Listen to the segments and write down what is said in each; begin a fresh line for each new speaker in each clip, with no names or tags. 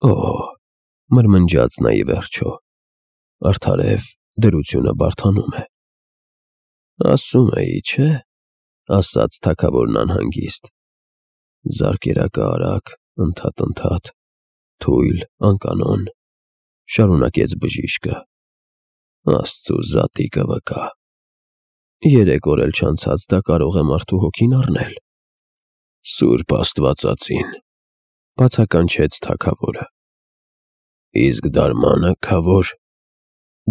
Օ, մրմնջաց նա ի վերջո, արդարև դրությունը բարդանում է։ Ասում էի, չէ, ասաց թագավորն անհանգիստ, զարկերակը արագ, ընդհատ, թույլ, անկանոն, շարունակեց բժիշկը, Աստծու զատիկը վկա, 3 օր էլ չանցած դա կարող է մարդու հոգին առնել։ Սուրբ Աստվածածին, բացականչեց թագավորը, իսկ դարմանը քավոր,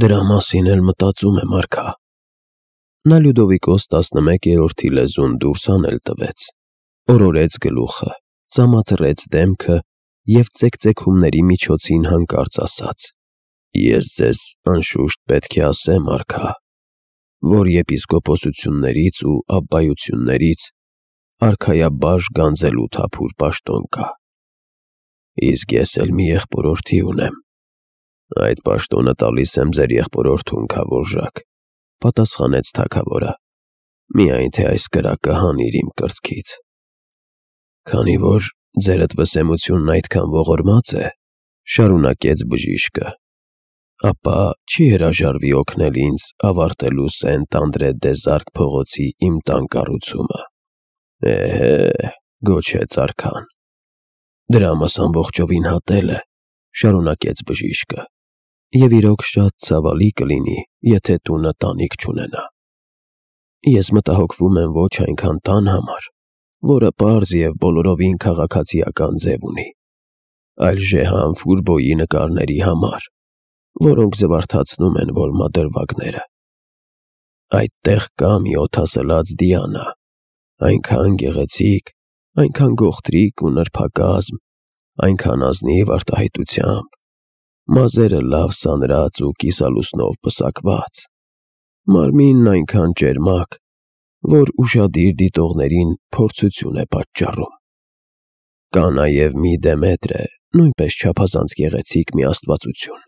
դրա մասին էլ մտածում եմ արքա։ Նա Լյուդովիկոս 11-րդի լեզուն դուրս անել տվեց, օրորեց գլուխը, ծամածրեց դեմքը և ծեքծեքումների միջոցին հանկարծ ասաց. Ես ձեզ անշուշտ պետք է ասեմ, արքա, որ եպիսկոպոսություններից ու աբբայություններից արքայաբաժ գանձելու թափուր պաշտոն կա։ Իսկ ես էլ մի եղբորորդի ունեմ։ Այդ պաշտոնը տալիս եմ ձեր եղբորորդուն, քավորժակ, պատասխանեց թագավորը, միայն թե այս կրակը հանիր իմ կրծքից։ Քանի որ ձերդ վսեմությունն այդքան ողորմած է, շարունակեց բժիշկը, ապա չի հրաժարվի օգնել ինձ ավարտելու Սենտ Անդրե դե Զարկ փողոցի իմ տան կառուցումը։ Էհե, գոչեց արքան։ Դրամս ամբողջովին հատել է, շարունակեց բժիշկը, և իրոք շատ ցավալի կլինի, եթե տունը տանիք չունենա։ Ես մտահոգվում եմ ոչ այնքան տան համար, որը պարզ և բոլորովին քաղաքացիական ձև ունի, այլ Ժեհան Ֆուրբոյի նկարների համար, որոնք զվարթացնում են որմնադրվագները։ Այդտեղ կա մի օդասլաց Դիանա, այնքան գեղեցիկ, այնքան գողտրիկ ու նրբակազմ, այնքան ազնիվ արտահայտությամբ, մազերը լավ սանրած ու կիսալուսնով պսակված, մարմինն այնքան ճերմակ, որ ուշադիր դիտողներին փորձություն է պատճառում։ Կա նաև մի Դեմետրը, նույնպես չափազանց գեղեցիկ մի աստվածություն։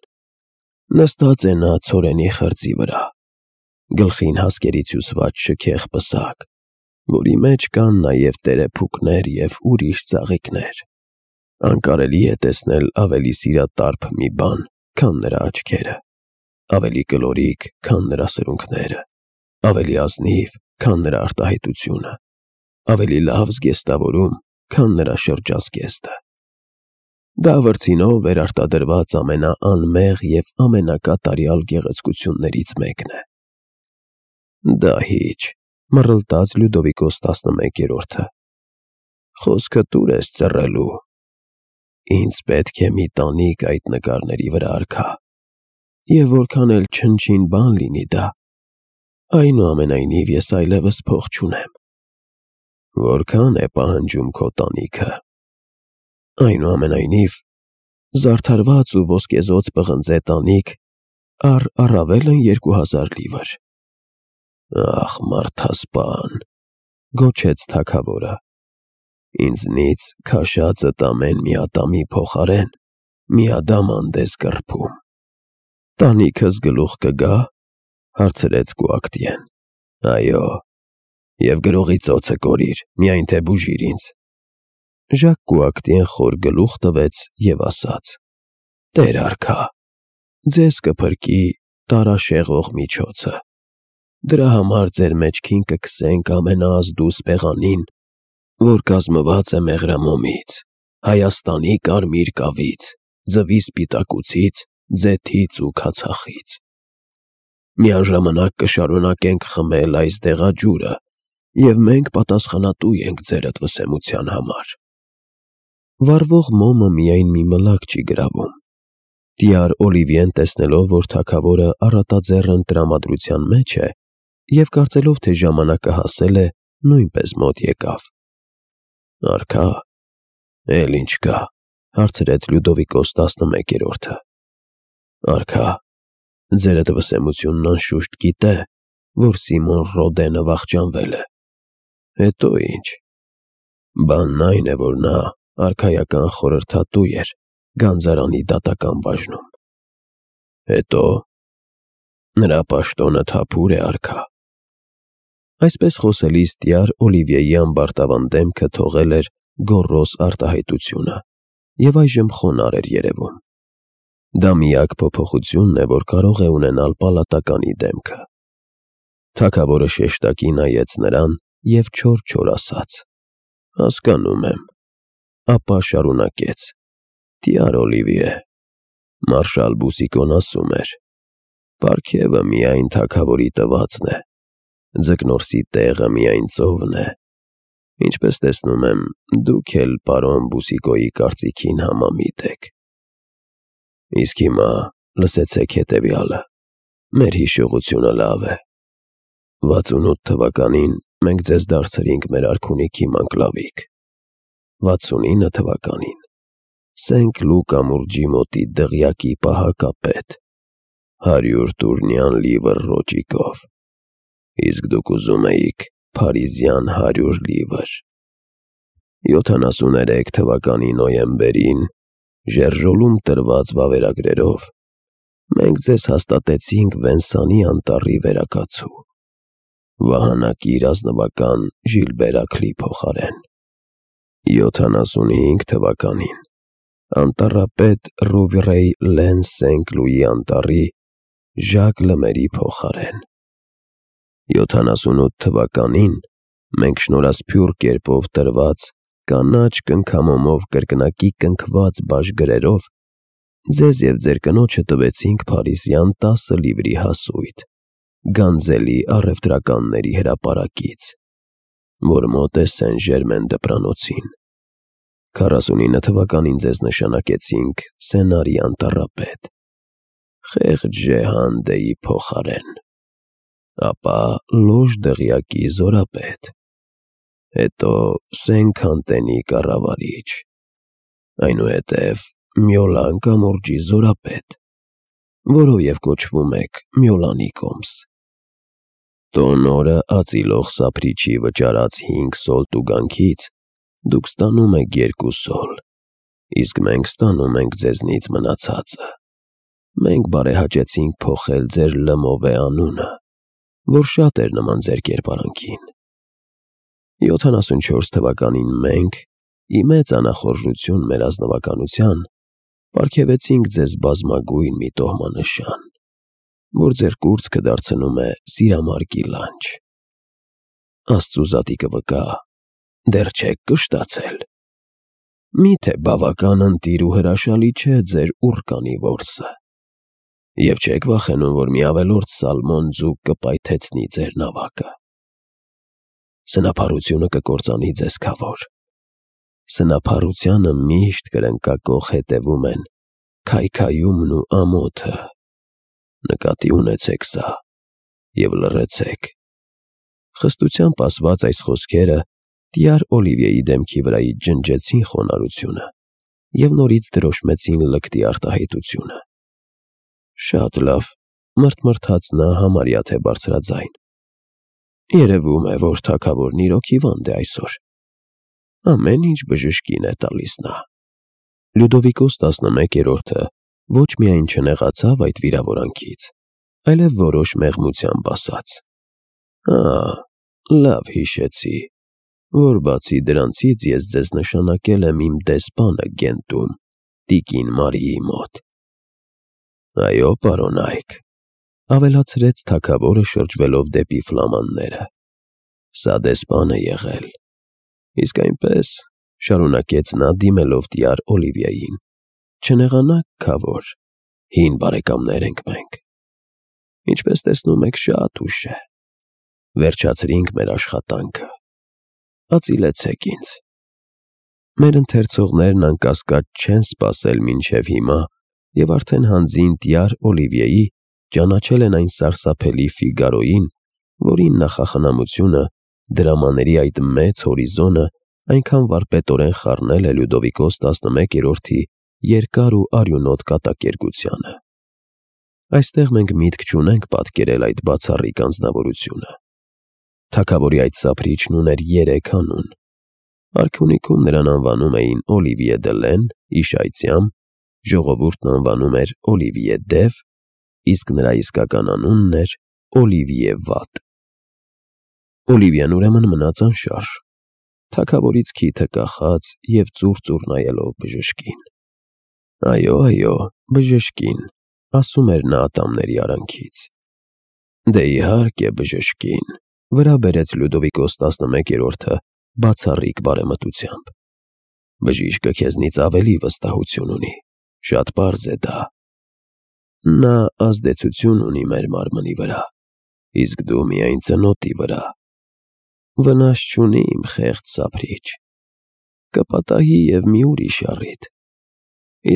Նստած է նա ցորենի խրձի վրա, գլխին հասկերից հյուսված շքեղ պսակ, որի մեջ կան նաև տերեփուկներ և ուրիշ ծաղիկներ։ Անկարելի է տեսնել ավելի սիրատարփ մի բան, քան նրա աչքերը, ավելի կլորիկ, քան նրա սրունքները, ավելի ազնիվ, քան նրա արտահայտությունը, ավելի լավ զգեստավորում, քան նրա շրջազգեստը։ Դա վրձինով վերարտադրված ամենաանմեղ և ամենակատարյալ գեղեցկություններից մեկն է։ Դահիճ, մռլտաց Լյուդովիկոս 11-րդը, խոսքդ ուր ես ծռելու։ Ինձ պետք է մի տանիք այդ նկարների վրա, արքա, և որքան էլ չնչին բան լինի դա, այնուամենայնիվ ես այլևս փող չունեմ։ Որքան է պահանջում քո տանիքը։ Այնուամենայնիվ, զարդարված ու ոսկեզօծ պղնձե տանիք առավելն 2000 լիվր։ Ախ, մարդասպան, գոչեց թագավորը, ինձնից քաշածդ ամեն մի ատամի փոխարեն մի ադամ անտես կռփում։ Տանիքս գլուխ կգա, հարցրեց Կուակտիեն։ Այո, և գրողի ծոցը կորիր, միայն թե բուժիր ինձ։ Ժակ Կուակտիեն խոր գլուխ տվեց և ասաց. Տեր արքա, ձեզ կփրկի տարաշեղող միջոցը։ Դրա համար ձեր մեջքին կքսենք ամենաազդու սպեղանին, որ կազմված է մեղրամոմից, Հայաստանի կարմիր կավից, ձվի սպիտակուցից, ձեթից ու քացախից։ Միաժամանակ կշարունակենք խմել այս դեղաջուրը, և մենք պատասխանատու ենք ձերդ վսեմության համար։ Վառվող մոմը միայն մի մլակ չի գրավում։ Տյար Օլիվիեն տեսնելով, որ թագավորը առատաձեռն տրամադրության մեջ է, և կարծելով, թե ժամանակը հասել է, նույնպես մոտ եկավ։ Արքա, էլ ինչ կա, հարցրեց Լյուդովիկոս 11-րդը։ Արքա, ձերդ վսեմությունն անշուշտ գիտե, որ Սիմոն Ռոդենը վախճանվել է։ Հետո ինչ։ Բանն այն է, որ նա արքայական խորհրդատու էր գանձարանի դատական բաժնում։ Հետո նրա պաշտոնը թափուր է, արքա։ Այսպես խոսելիս տյար Օլիվիեի ամբարտավան դեմքը թողել էր գոռոզ արտահայտությունը, և այժմ խոնարհ էր երևում։ Դա միակ փոփոխությունն է, որ կարող է ունենալ պալատականի դեմքը։ Թագավորը շեշտակի նայեց նրան և չոր ասաց. «Հասկանում եմ»։ Ապա շարունակեց. «Տյար Օլիվիե, մարշալ Բուսիկոն ասում էր. պարգևը միայն թագավորի տվածն է, ձկնորսի տեղը միայն ծովն է։ Ինչպես տեսնում եմ, դուք էլ պարոն Բուսիկոյի կարծիքին համամիտ եք։ Իսկ հիմա լսեցեք հետևյալը. մեր հիշողությունը լավ է։ 68 թվականին մենք ձեզ դարձրինք մեր արքունիքի մանկլավիկ։ 69 թվականին Սենք Լու կամուրջի մոտի դղյակի պահակապետ, 100 տուրնյան լիվր ռոճիկով, իսկ դուք ուզում էիք փարիզյան 100 լիվր։ 73 թվականի նոյեմբերին Ժերժոլում տրված վավերագրերով մենք ձեզ հաստատեցինք Վենսանի անտառի վերակացու, վահանակիր ազնվական Ժիլբեր փոխարեն։ 75 թվականին անտառապետ Ռուվրեյ Լեն Սենք Լուի անտառի Ժակ Լեմերի փոխարեն։ 78 թվականին մենք շնորհասփյուռ կերպով տրված կանաչ կնքամոմով կրկնակի կնքված բաժգրերով ձեզ և ձեր կնոջը տվեցինք փարիզյան 10 լիվրի հասույթ Գանձելի առևտրականների հրապարակից, որ մոտ է Սեն Ժերմեն դպրանոցին։ 49 թվականին ձեզ նշանակեցինք Սենարի անտառապետ, խեղճ Ժեհանդեի փոխարեն, ապա լոժ դղյակի զորապետ, հետո Սենքանտենի կառավարիչ, այնուհետև Մյոլան կամուրջի զորապետ, որով կոչվում եք Մյոլանի կոմս։ Տոն օրը ածիլող սափրիչի վճարած 5 սոլ տուգանքից դուք ստանում եք 2 սոլ, իսկ մենք ստանում ենք ձեզնից մնացածը։ Մենք բարեհաճեցինք փոխել ձեր Լմովե անունը, որ շատ էր նման ձեր կերպարանքին։ 74 թվականին մենք, ի մեծ անախորժություն մեր ազնվականության, պարգևեցինք ձեզ բազմագույն մի տոհմանշան, որ ձեր կուրծքը դարձնում է սիրամարգի լանջ։ Աստծու զատիկը վկա, դեռ չեք կշտացել։ Մի՞թե բավական ընտիր ու հրաշալի չէ ձեր ուռկանի որսը, և չեք վախենում, որ մի ավելորդ սալմոն ձուկ կպայթեցնի ձեր նավակը։ Սնափառությունը կկործանի ձեզ, Քավոր։ Սնափառությանը միշտ կրնկակոխ հետևում են քայքայումն ու ամոթը։ Նկատի ունեցեք սա և լռեցեք։ Խստությամբ ասված այս խոսքերը տյար Օլիվիեի դեմքի վրայից ջնջեցին խոնարհությունը և նորից դրոշմեցին լկտի արտահայտությունը։ Շատ լավ, մռթմռթաց նա համարյա թե բարձրաձայն։ Երևում է, որ թագավորն իրոք հիվանդ է այսօր։ Ամեն ինչ բժշկին է տալիս նա։ Լյուդովիկոս 11-րդը ոչ միայն չնեղացավ այդ վիրավորանքից, այլև որոշ մեղմությամբ ասաց. լավ հիշեցի, որ բացի դրանցից ես ձեզ նշանակել եմ իմ դեսպանը Գենտում, տիկին Մարիի մոտ։ Այո, պարոն Այք, ավելացրեց թագավորը շրջվելով դեպի ֆլամանները, սա դեսպան է եղել, իսկ այնպես, շարունակեց նա դիմելով տյար Օլիվիեին, չնեղանաք, Քավոր, հին բարեկամներ ենք մենք։ Ինչպես տեսնում եք, շատ ուշ է։ Վերջացրինք մեր աշխատանքը։ Ածիլեցեք ինձ։ Մեր ընթերցողներն անկասկած չեն սպասել մինչև հիմա և արդեն հանձին տյար Օլիվիեի ճանաչել են այն սարսափելի Ֆիգարոյին, որին նախախնամությունը, դրամաների այդ մեծ հորիզոնը այնքան վարպետորեն խառնել է Լյուդովիկոս 11-րդի երկար ու արյունոտ կատակերգությանը։ Այստեղ մենք միտք չունենք պատկերել այդ բացառիկ անձնավորությունը։ Թագավորի այդ սափրիչն ուներ 3 անուն։ Արքունիքում նրան անվանում էին Օլիվիե դը Լեն, իշայծյամ, ժողովուրդն անվանում էր Օլիվիե Դև, իսկ նրա իսկական անունն էր Օլիվիե Վատ։ Օլիվիեն ուրեմն մնաց անշարժ։ թագավորից քիթը կախած և ծուռ-ծուռ նայելով բժշկին։ Այո, այո, բժշկին, ասում էր նա ատամների արանքից։ Դե իհարկե բժշկին, վրա բերեց Լյուդովիկոս 11-րդը բացառիկ բարեմտությամբ։ Բժիշկը քեզնից ավելի վստահություն ունի, շատ պարզ է դա։ Նա ազդեցություն ունի մեր մարմնի վրա, իսկ դու միայն ծնոտի վրա։ Վնաս չունի իմ խեղճ սափրիչ, կպատահի և մի ուրիշ առիթ։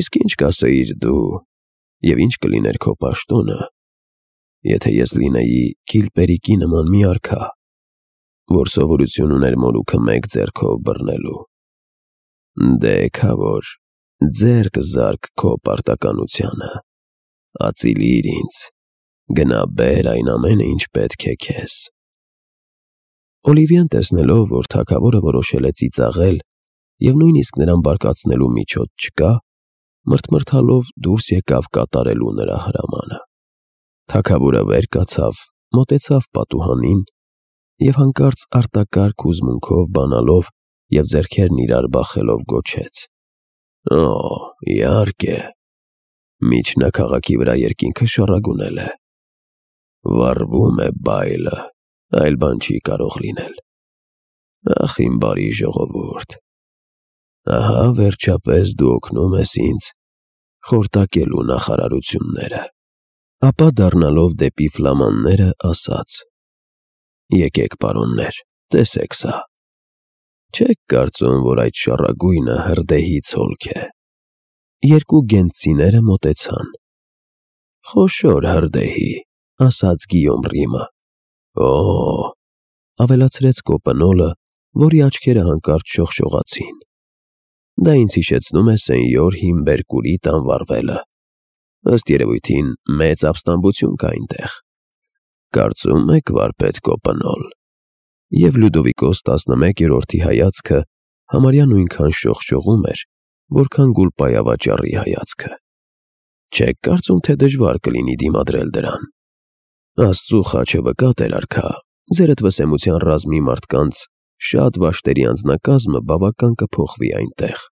Իսկ ինչ կասեիր դու, և ինչ կլիներ քո պաշտոնը, եթե ես լինեի Քիլպերիկի նման մի արքա, որ սովորություն ուներ մորուքը մեկ ձեռքով բռնելու։ Դե քավոր, ձեռք զարք քո պարտականությանը, ածիլիր ինձ, գնա բեր այն ամենը, ինչ պետք է քեզ։ Օլիվիեն տեսնելով, որ թագավորը որոշել է ծիծաղել և նույնիսկ նրան բարկացնելու միջոց չկա, մռթմռթալով դուրս եկավ կատարելու նրա հրամանը։ Թագավորը վեր կացավ, մոտեցավ պատուհանին և հանկարծ արտակարգ հուզմունքով բանալով և ձեռքերն իրար բախելով գոչեց. «Օ, իհարկե, միջնաքաղաքի վրա երկինքը շառագունել է։ Վառվում է բայլը, այլ բան չի կարող լինել։ Ախ, իմ բարի ժողովուրդ, ահա վերջապես դու օգնում ես ինձ խորտակելու նախարարությունները»։ Ապա դառնալով դեպի ֆլամանները ասաց. «Եկեք, պարոններ, տեսեք սա։ Չեք կարծում, որ այդ շառագույնը հրդեհի ցոլք է»։ Երկու գենտցիները մոտեցան։ «Խոշոր հրդեհի», ասաց Գիյոմ Ռիմը։ «Օ», ավելացրեց Կոպնոլը, որի աչքերը հանկարծ շողշողացին։ «Դա ինձ հիշեցնում է սենյոր Հիմբերկուրի տան վառվելը։ Ըստ երևույթին մեծ ապստամբություն կա այնտեղ։ Կարծում եք, վարպետ Կոպնոլ»։ Եվ Լյուդովիկոս 11-րդի հայացքը համարյա նույնքան շողշողում էր, որքան գուլպայավաճառի հայացքը։ Չեք կարծում, թե դժվար կլինի դիմադրել դրան։ Աստծու խաչը վկա, տեր-արքա, ձերդ վսեմության ռազմի մարդկանց շատ վաշտերի անձնակազմը բավական կփոխվի այնտեղ։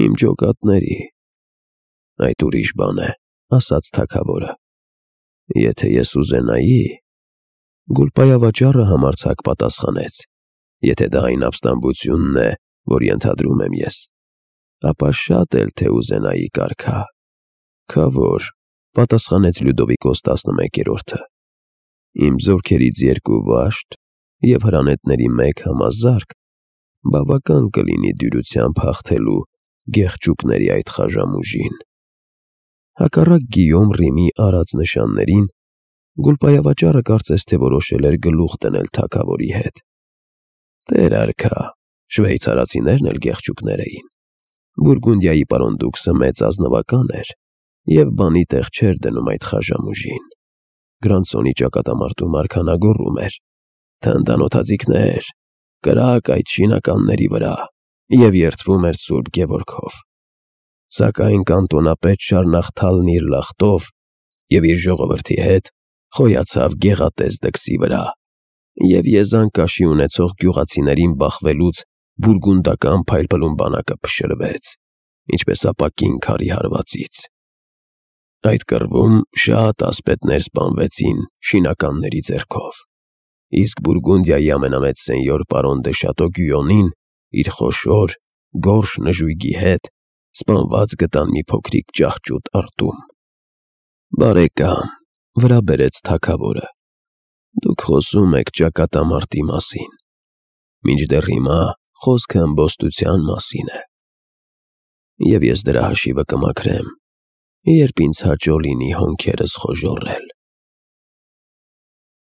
Իմ ջոկատների։ Այդ ուրիշ բան է, ասաց թագավորը։ Եթե ես ուզենայի, գուլպայավաճառը համարձակ պատասխանեց, եթե դա այն ապստամբությունն է, որ ենթադրում եմ ես, ապա շատ էլ թե ուզենայի կարգա։ Քավոր, պատասխանեց Լյուդովիկոս 11-րդը։ Իմ զորքերից 2 վաշտ և հրանետների 1 համազարկ բավական կլինի դյուրությամբ հաղթելու գեղչուկների այդ խաժամուժին։ Հակառակ Գիյոմ Ռիմի արած նշաններին, գուլպայավաճառը կարծես թե որոշել էր գլուխ դնել թագավորի հետ։ Տեր-արքա, շվեյցարացիներն էլ գեղչուկներ էին։ Բուրգունդիայի պարոն դուքսը մեծ ազնվական էր և բանի տեղ չէր դնում այդ խաժամուժին։ Գրանսոնի ճակատամարտում արքան ագոռում էր. «Թնդանոթաձիգներ, կրակ այդ շինականների վրա» և երդվում էր Սուրբ Գևորգով։ Սակայն կանտոնապետ Շարնախթալն իր լախտով և իր ժողովրդի հետ խոյացավ գեղատես դքսի վրա և եզան կաշի ունեցող գյուղացիներին բախվելուց բուրգունդական փայլփլուն բանակը փշրվեց, ինչպես ապակին քարի հարվածից։ Այդ կռվում շատ ասպետներ սպանվեցին շինականների ձեռքով, իսկ Բուրգունդիայի ամենամեծ սենյոր պարոն դե Շատո Գյույոնին իր խոշոր, գորշ նժույգի հետ սպանված գտան մի փոքրիկ ճահճուտ արտում։ Բարեկամ, վրա բերեց թագավորը, դուք խոսում եք ճակատամարտի մասին, մինչդեռ հիմա խոսքը ըմբոստության մասին է։ Եվ ես դրա հաշիվը կմաքրեմ, երբ ինձ հաճո լինի հոնքերս խոժոռել։